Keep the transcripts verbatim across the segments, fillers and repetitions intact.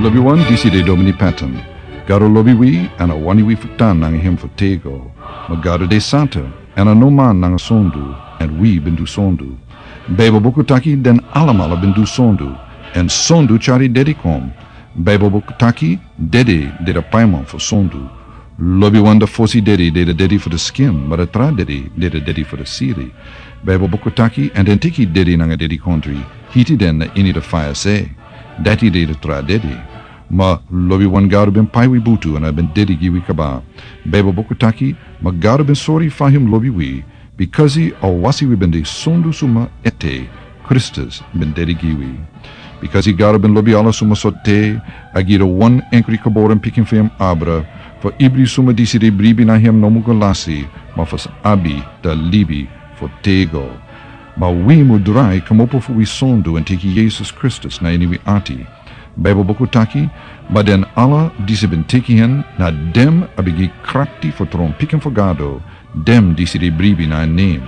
Lobiwan, disi de Domini Patton. Gado lobi wi, èn a wani wi fu tan nanga hem fu tego. Ma Gado de santa, èn a no man nanga sondu, èn wi ben du sondu. Baibel buku taki den alamala ben du sondu, èn sondu tyari dede kon. Baibel buku taki dede de a paiman fu sondu. Lobiwan, a fosi dede de a dede fu a skin, ma a tra dede de a dede fu a siri. Baibel buku taki, èn den teki dede nanga dedikondre, hiti den na ini a faya se. Dati de a tra dede. Ma lobiwan, Gado ben pai wi butu èn a ben dede gi wi kaba. Baibel buku taki, ma Gado ben sori fa hem lobi wi, bikasi a wasi wi ben de sondu suma ete, Kristus ben dede gi wi. Bikasi Gado ben lobi ala suma sortu, a gi a wan enkri geboren pikin fu hem abra, fu ibri suma disi de bribi na hem no mu go lasi, ma fu sa abi a libi fu tego. Ma wi mu drai kmopo fu wi sondu èn teki Yesus Kristus na ini wi ati. Baibel buku taki, ma den ala disi ben teki hen, na den a ben gi krakti fu tron pikin fu Gado, den disi de bribi na en nen.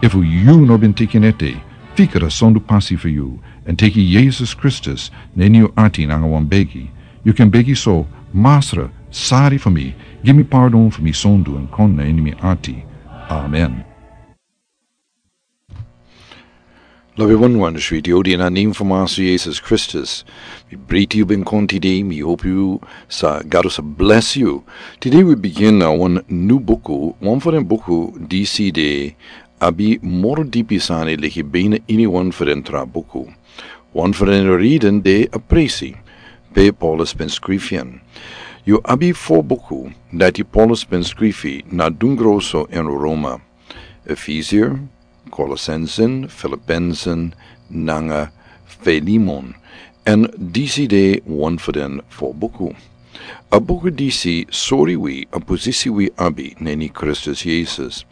Efu yu no ben teki en ete, fika a sondu pasi fu yu, èn teki Yesus Kristus na ini yu ati nanga wan begi. Yu kan begi so: Masra, sari fu mi, gi mi pardon fu mi sondu èn kon na ini mi ati. Amen. Lobiwan, wan switi odi na nen fu Masra Yesus Kristus. Mi breiti yu ben kon tide, mi hopi yu sa, Gado sa bless yu. Tide wi bigin na wan new buku, wan fu den buku disi de abi moro dipi sani leki bina ini wan fu den tra buku. Wan fu den reden de a presi pe Paulus ben skrifi en. Yu abi fo buku dati Paulus ben skrifi na dungroso èn Roma. Efesier, Kolosensen, Filipensen, nanga Filemon. Èn disi de wan fu den fo buku. A buku disi sori wi a posisi wi abi na ini Kristus Yesus.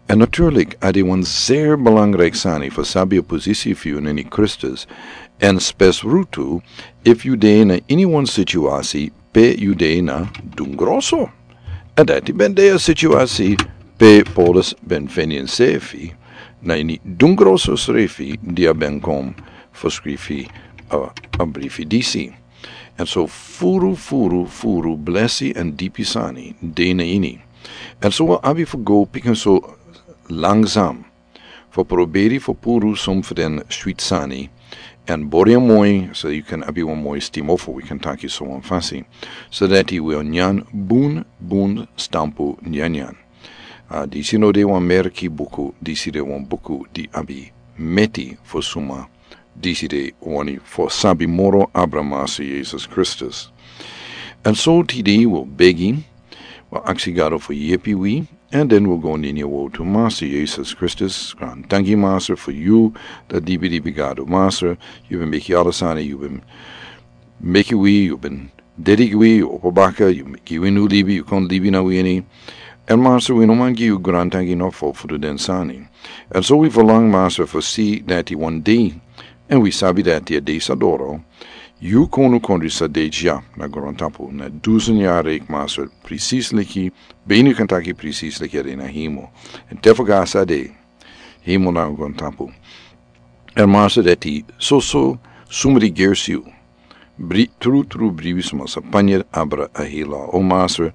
Èn naturlik, a de wan zeer belangrijk sani fu sabi a posisi fu yu na ini Kristus. Èn spesrutu, efu yu de na ini wan situasi pe yu de na dungroso. Èn dati ben de a situasi pe Paulus ben feni ensefi, na ini dungroso srefi di a ben kon fu skrifi a, a brifi disi. Èn so furu, furu, furu blesi èn dipi sani de na ini. Èn so wi abi fu go pikin so langzaam fu proberi fu puru son fu den switi sani. Èn bori en moi, so yu kan abi wan moi stima fu wi kan taki so wan fasi. So dati wi o nyan bun, bun stampu nyanyan. A, disi no de wan merki buku, disi de wan buku di abi meti fu suma disi de wani fu sabi moro abra Masra Yesus Kristus. Èn so tide wi o begi, wi o aksi Gado fu yepi wi, èn den wi o go na ini a wowtu. Masra Yesus Kristus, grantangi Masra fu yu, a dibi dibi Gado. Masra, yu ben meki ala sani, yu ben meki wi, yu ben dede gi wi, yu opo baka, yu gi wi new libi, yu kon libi na wi ini. Èn Masra, wi no man gi yu grantangi nofo fu du den sani. Èn so wi verlang, Masra, fu si dati wan dei, èn wi sabi dati a dei sa doro, yu kondukondre sa de dya na grontapu, na dusun yari, Masra, presis leki, bini kan taki presis leki a de na hemel. Èn te fu gasi a de hemel na grontapu. Èn Masra, dati soso suma di gersi yu, bri-, tru, tru bribi suma sa panya abra a hela. O Masra,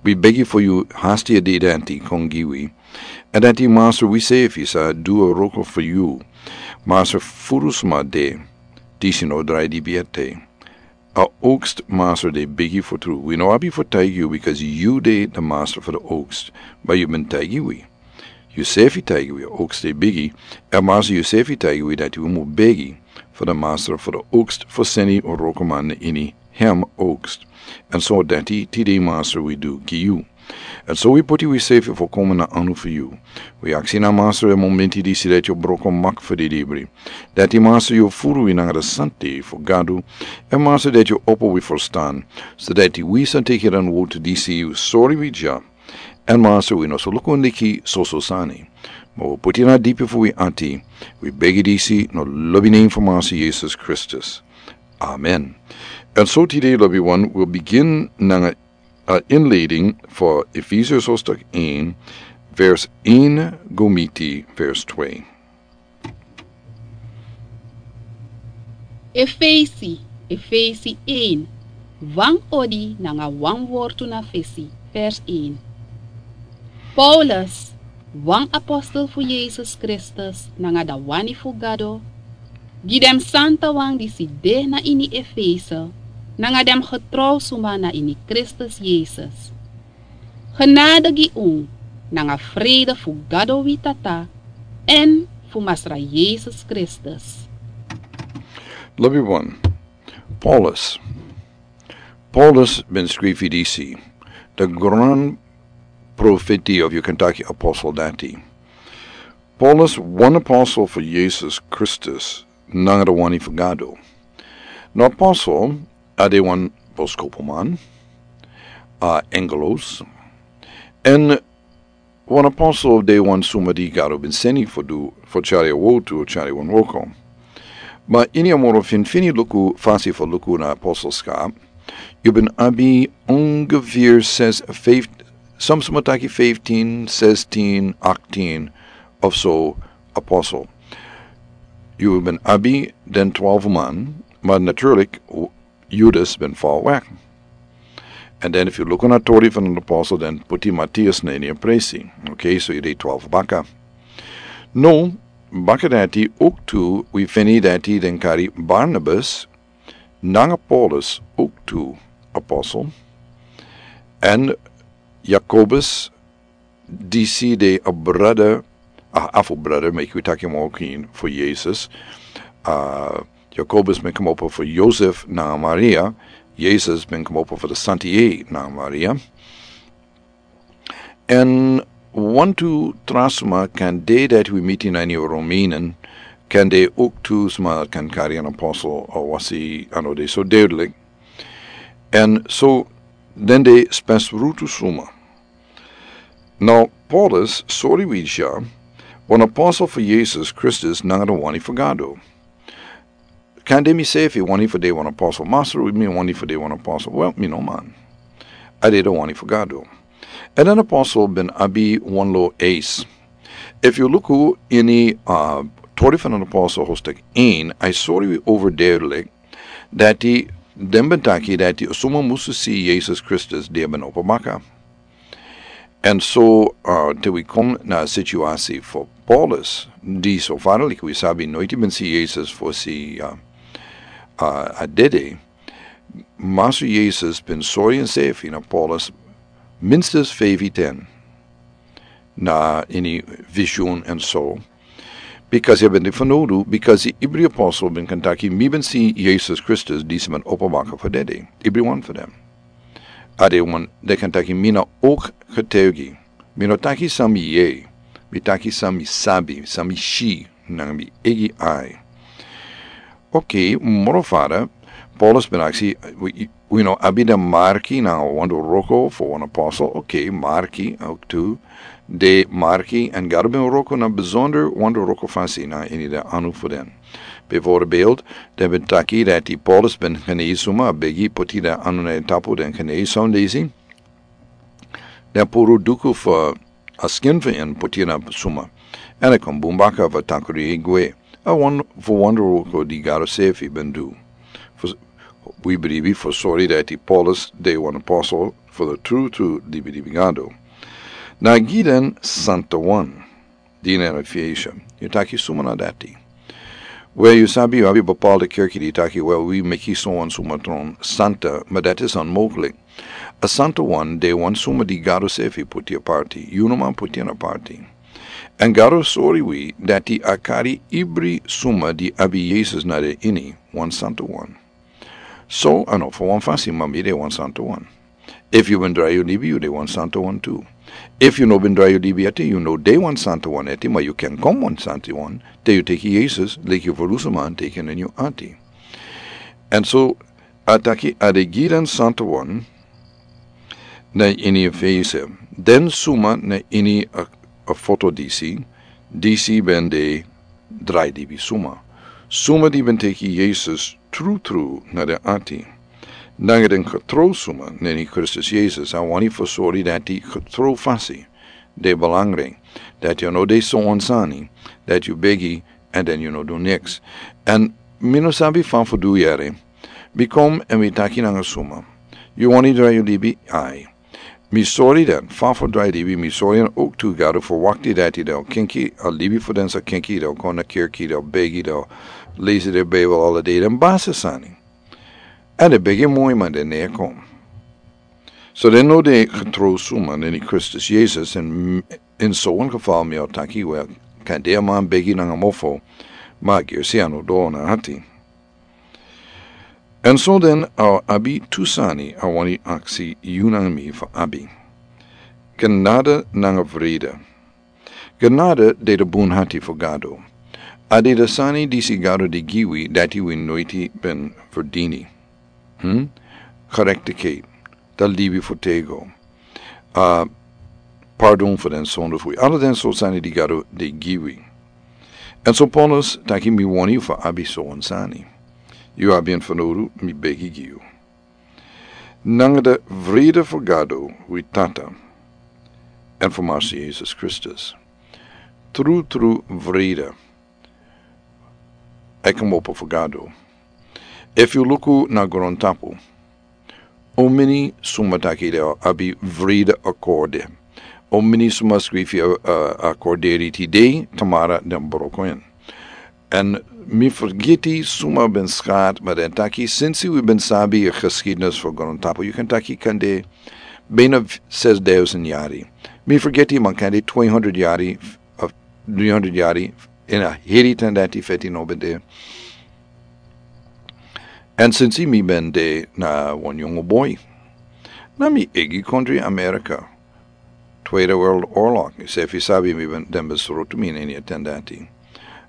wi begi fu yu hasti a dei dati kon gi wi. Èn dati, Masra, wi sefi sa du a wroko fu yu. Masra, furu suma de, disi no drai dibi ete. A oogst, Masra, de bigi fu tru. Wi no abi fu taigi yu, bikasi yu de a Masra fu a oogst. Ma yu ben taigi wi. Yu sefi taigi wi a oogst de bigi. Èn Masra, yu sefi taigi wi dati wi mu begi fu a Masra fu a oogst fu seni a wrokoman na ini hem oogst. Èn so dati tide, Masra, wi du gi yu. Èn so wi poti wi sefi fu kon na anu fu yu. Wi aksi na, Masra, a momenti disi dati yu o broko mak fu di libri. Dati, Masra, yu o furu wi nanga a santa fu Gadu. Èn Masra, dati yu o opo wi ferstan, so dati wi sa teki den wowtu disi yu sori wi dya. Èn Masra, wi no sa luku leki soso sani. Ma wi poti na dipi fu wi ati. Wi begi disi na lobi nen fu Masra Yesus Kristus. Amen. Èn so tide, lobiwan, wi o bigin nanga a inleiding fu Efesiërs hoofdstuk één, vers één go miti vers twee. Efesi, Efesi één, Wan odi nanga wan wortu na fesi, vers een. Paulus, wan apostel fu Yesus Kristus nanga da wani fu Gado, gi den santawan disi de na ini Efese, nanga den getrouw suma na ini Kristus Yesus. Genade gi un, nanga vrede fu Gado wi Tata, èn fu Masra Yesus Kristus. Lobi wan, Paulus. Paulus ben skrifi disi, the gran profeti of yu kan taki apostel dati. Paulus, wan apostel fu Yesus Kristus, nanga da wani fu Gado. Na apostel, a de wan boskopuman, a engelos, èn wan apostel de wan suma di Gado ben seni fu du, fu tyari a wortu, tyari wan wroko. Ma ini a moro finfini luku fasi fu luku na apostelskap, yu ben abi ongeveer ses, vijf, soms suma taki fifteen, sixteen, achttien of so apostel. Yu ben abi den twaalf man, ma natuurlijk, Judas ben val weg. En dan if yu luku na tori fu den apostel, dan puti Matthias na ini a presi. Okay, so yu de twaalf baka. No, baka dati ook tu, wi feni dati den kari Barnabas, nanga Paulus ook tu apostel. En Jacobus, disi de a brother, a half brother, meki wi taki moro kin fu Yesus. Uh, Jacobus ben komopo fu Josef nanga Maria. Yesus ben komopo fu de Santi nanga Maria. En wantu tra suma kan de dati wi miti na ini Romeinen, kan de ook tu suma kan kari an apostel, a wasi a no de so duidelijk. En so den de spesrutu suma. Now, Paulus, sori wi dya, wan apostel fu Yesus Kristus nanga da wani fu Gado. Kan de mi sefi wani fu de wan apostel, Masra, mi wani fu de wan apostel. Wel, mi no man. A de da wani fu Gado. En den apostel ben abi wan lo eis. If yu luku ini, uh, tori fu den apostel hoofdstuk een, a sori wi overduidelijk dati den ben taki dati suma musu si Yesus Kristus di ben opo baka. En so, uh, te wi kon na a situasi fu Paulus, di so fadelijk wi sabi noiti ben si Yesus fosi, uh, uh, a dede, Masra Yesus ben sori ensefi na Paulus minstens vijf ten na ini visioen en so. Because a ben de fanowdu, because ibri apostel ben kan taki, mi ben si Yesus Kristus disi ben opo baka fu dede. Ibri wan fu den. A de wan, den kan taki mi na ook getuigi. Mi no taki san mi yere, mi taki san mi sabi, san mi si nanga mi eigi ai. Okay, moro fara, Paulus ben aksi, wi, wi no abi den marki nanga wonderwroko fu wan apostel. Okay, marki, ook tu. De marki, en Gado ben wroko na bijzonder wonderwroko fasi na ini den anu fu den. Bijvoorbeeld, den ben taki dati Paulus ben genesi suma, begi poti den anu na en tapu, den genesi son disi. Den puru duku fu a skin fu en poti na suma. En a kon bun baka fu takru e gwe. A wan fu wonderwroko di Gado sefi ben du. Fu, wi bribi fu sori dati Paulus de wan apostel fu de tru tru libi libi Gado. Na gi den santawan. Di na Efese. Yu taki suma na dati. Wel, yu sabi, yu abi bepaalde kerki di taki, wel, wi meki so wan suma tron santa, ma dati is onmogelijk. A santawan de wan suma di Gado sefi poti aparti. Yu no man poti en aparti. En Gado sori wi dati a kari ibri suma di abi Yesus na den ini, wan santawan. So, a no fu wan fasi, ma mi de wan santawan. Efu yu ben drai yu libi, yu de wan santawan tu. Efu yu no ben drai yu libi ete, yu no de wan santawan ete, ma yu kan kon wan santawan, te yu teki Yesus, leki yu ferlusu man teki en ini yu ati. En so, a taki a de gi den santawan, na ini Efese, den suma na ini a, a foto disi, disi ben de drai libi suma. Suma di ben teki Yesus tru tru na den ati. Nanga den getrouw suma na ini Kristus Yesus, a wani fu sori dati getrouw fasi de belangrijk. Dati yu no de so wan sani, dati yu begi, en dan yu no du niks. En mi no sabi fa fu du yere. Wi kon èn wi taki nanga suma. Yu wani drai yu libi? Ai. Mi sori den fa fu drai libi, mi sori den owktu. Gado fu wakti dati den o kenki a libi fu den sa kenki, den o kon na kerki, den o begi, den o lesi den Bijbel ala dei, den basi sani. Èn den begi moi, ma den no e kon. So den no de getro suma na ini Kristus Yesus, èn, èn so wan geval mi o taki, wel, kan de a man begi nanga mofo, ma gersi a no doro na ati. Èn so den a abi tu sani a wani aksi yu nanga mi fu abi. Genade nanga vrede. Genade de de bun ati fu Gado. A de de sani disi Gado de gi wi dati wi noiti ben verdini. Hmm? Gerechtigheid, da libi fu tego, a pardon fu den sondu fu wi. Ala den so sani di Gado de gi wi. Èn so Paulus taki mi wani yu fu abi so wan sani. Yu abi en fanowdu, mi begi gi yu. Nanga de vrede fu Gado wi Tata èn fu Master Yesus Kristus. Tru, tru vrede e kmopo fu Gado. Efu yu luku na grontapu, omeni suma taki den o abi vrede akorde. Omeni suma skrifi a, a, akorderi tide, tamara den broko en. Èn mi fergiti suma ben skat, ma den taki, sinsi wi ben sabi a geschiedenis fu grontapu, yu kan taki kande bijna zesduizend yari. Mi fergiti, ma kande tweehonderd yari, of driehonderd yari, in a heri ten dati feti no ben de. Èn sinsi mi ben de na wan yongo boi. Na mi eigi kondri Amerika. Tweede Wereldoorlog, yu sefi sabi mi ben, den ben srotu mi na ini a ten dati.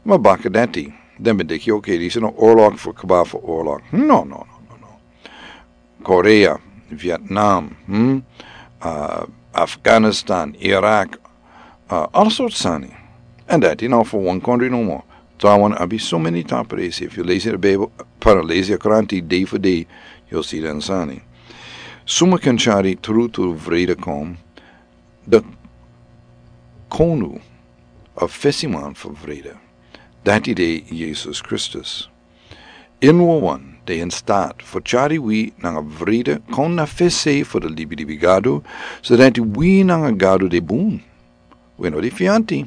Ma baka dati, den ben denki, oké, disi na oorlog fu kaba fu oorlog. No, no, no, no, no. Korea, Vietnam, hmm? Ah, Afghanistan, Irak, ah, ala sortu sani. Èn dati na fu wan kondri nomo. Trawan abi so many tapu dei, efu yu lesi a Bijbel, para lesi a kranti dei fu dei, yu o si den sani. Suma kan tyari tru tru vrede kon, de konu, a fesiman fu vrede. Dati de Yesus Kristus. En wawan de in staat fu tyari wi nanga vrede kon na fesi fu de libi libi Gado, so dati wi nanga Gado de bun. Wi no de fianti.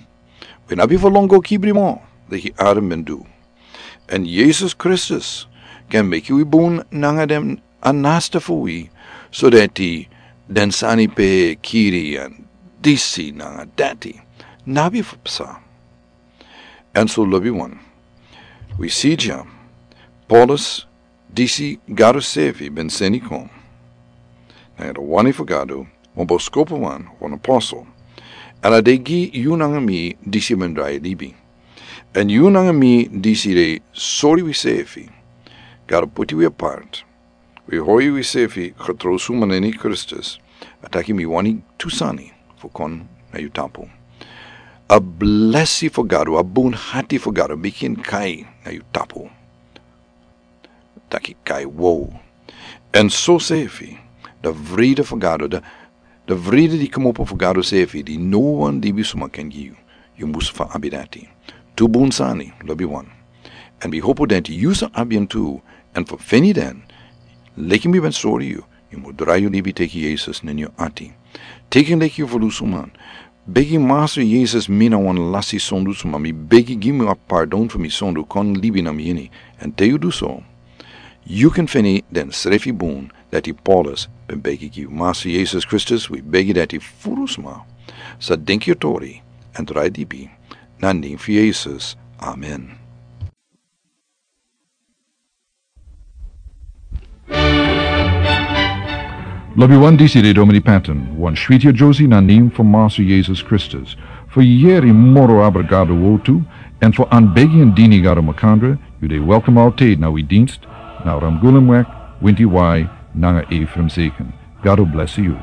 Wi no abi fu lon go kibri moro, leki Adam ben du. Èn Yesus Kristus kan meki wi bun nanga den a naaste fu wi, so dati den sani pe kiri èn disi nanga dati no abi fu psa. Èn so lobiwan, wi si dya, Paulus, disi Gado sefi ben seni kon. Nanga de wani fu Gado, wan boskopuman, wan apostel. Èn a de gi yu nanga mi disi ben drai libi. Èn yu nanga mi disi de sori wi sefi. Gado puti wi apart. Wi hori wi sefi getro suma na ini Kristus. A taki mi wani tu sani fu kon na yu tapu. A blesi fu Gado, a bun ati fu Gado, meki en kai na yu tapu. Taki kai wow. Èn so sefi, de vrede fu Gado, de, de vrede di kmopo fu Gado sefi, di no wan libisuma kan gi yu. Yu mus fu abi dati. Tu bun sani, lobiwan. Èn mi hopu dati yu sa abi en tu, èn fu feni den, leki mi ben sori yu, yu mus drai yu libi teki Yesus na ini yu ati. Teki en leki yu ferlusuman. Begi Master Yesus, mi na wan lasi sondu suma, mi begi gi mi a pardon fu mi sondu, kon libi na mi ini. Èn te yu du so, yu kan feni den srefi bun dati Paulus ben begi gi yu. Master Yesus Kristus, wi begi dati furu sma sa denki yu tori èn drai libi. Na nen fu Yesus. Amen. Lobiwan, disi de Domini Patton, wan switi a Josie na nen fu Master Yesus Kristus. Fu yere moro abra Gado wotu, èn fu anbegi èn dini Gado makandra, yu de welkom altijd na wi dienst, na Ramgulemweg, Winti Wai, nanga Ephraim Zeken. Gado blesi yu.